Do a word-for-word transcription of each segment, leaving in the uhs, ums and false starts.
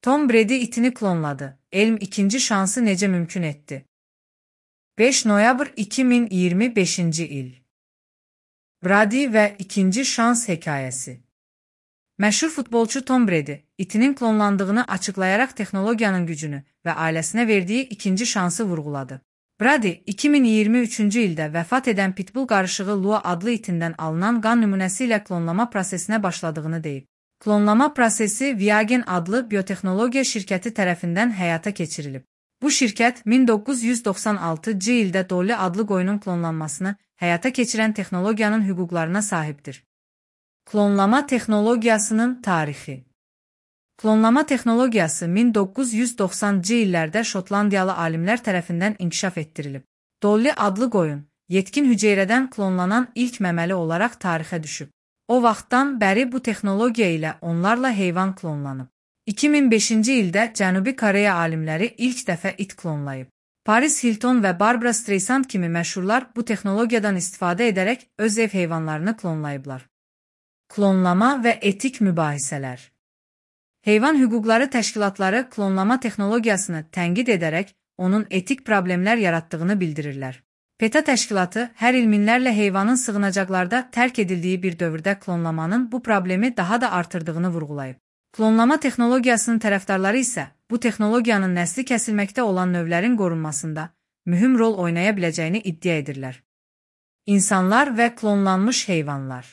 Tom Brady itini klonladı. Elm ikinci şansı necə mümkün etdi? beş noyabr iki min iyirmi beşinci il. Brady və ikinci şans hekayəsi. Məşhur futbolçu Tom Brady, itinin klonlandığını açıqlayaraq texnologiyanın gücünü və ailəsinə verdiyi ikinci şansı vurğuladı. Brady, iki min iyirmi üçüncü ildə vəfat edən Pitbull qarışığı Lua adlı itindən alınan qan nümunəsi ilə klonlama prosesinə başladığını deyib. Klonlama prosesi Viagen adlı biotexnologiya şirkəti tərəfindən həyata keçirilib. Bu şirkət min doqquz yüz doxsan altıncı ildə Dolly adlı qoyunun klonlanmasını həyata keçirən texnologiyanın hüquqlarına sahibdir. Klonlama texnologiyasının tarixi. Klonlama texnologiyası min doqquz yüz doxsanıncı illərdə Şotlandiyalı alimlər tərəfindən inkişaf etdirilib. Dolly adlı qoyun, yetkin hüceyrədən klonlanan ilk məməli olaraq tarixə düşüb. O vaxtdan bəri bu texnologiya ilə onlarla heyvan klonlanıb. iki min beşinci ildə Cənubi Koreya alimləri ilk dəfə it klonlayıb. Paris Hilton və Barbara Streisand kimi məşhurlar bu texnologiyadan istifadə edərək öz ev heyvanlarını klonlayıblar. Klonlama və etik mübahisələr. Heyvan hüquqları təşkilatları klonlama texnologiyasını tənqid edərək onun etik problemlər yaratdığını bildirirlər. PETA təşkilatı hər il minlərlə heyvanın sığınacaqlarda tərk edildiyi bir dövrdə klonlamanın bu problemi daha da artırdığını vurğulayıb. Klonlama texnologiyasının tərəfdarları isə bu texnologiyanın nəsli kəsilməkdə olan növlərin qorunmasında mühüm rol oynaya biləcəyini iddia edirlər. İnsanlar və klonlanmış heyvanlar.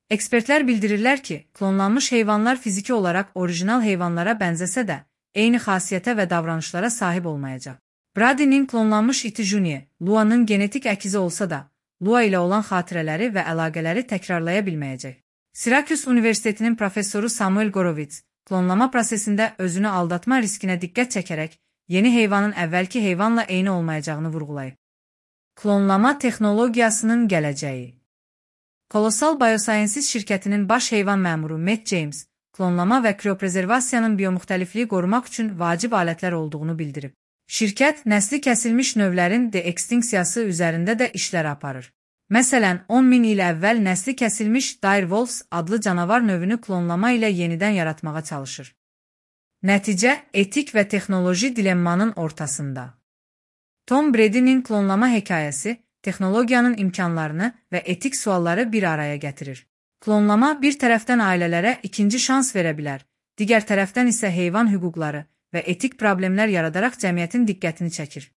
Ekspertlər bildirirlər ki, klonlanmış heyvanlar fiziki olaraq orijinal heyvanlara bənzəsə də, eyni xasiyyətə və davranışlara sahib olmayacaq. Brady'nin klonlanmış iti Junior, Lua'nın genetik əkizi olsa da, Lua ilə olan xatirələri və əlaqələri təkrarlaya bilməyəcək. Syracuse Universitetinin professoru Samuel Gorovitz, klonlama prosesində özünü aldatma riskinə diqqət çəkərək, yeni heyvanın əvvəlki heyvanla eyni olmayacağını vurğulayıb. Klonlama texnologiyasının gələcəyi. Colossal Biosciences şirkətinin baş heyvan məmuru Matt James, klonlama və krioprezervasiyanın biomuxtəlifliyi qorumaq üçün vacib alətlər olduğunu bildirib. Şirkət, nəsli kəsilmiş növlərin de-ekstinksiyası üzərində də işlər aparır. Məsələn, on min il əvvəl nəsli kəsilmiş direwolves adlı canavar növünü klonlama ilə yenidən yaratmağa çalışır. Nəticə, etik və texnoloji dilemmanın ortasında. Tom Brady'nin klonlama hekayəsi, texnologiyanın imkanlarını və etik sualları bir araya gətirir. Klonlama bir tərəfdən ailələrə ikinci şans verə bilər, digər tərəfdən isə heyvan hüquqları və etik problemlər yaradaraq cəmiyyətin diqqətini çəkir.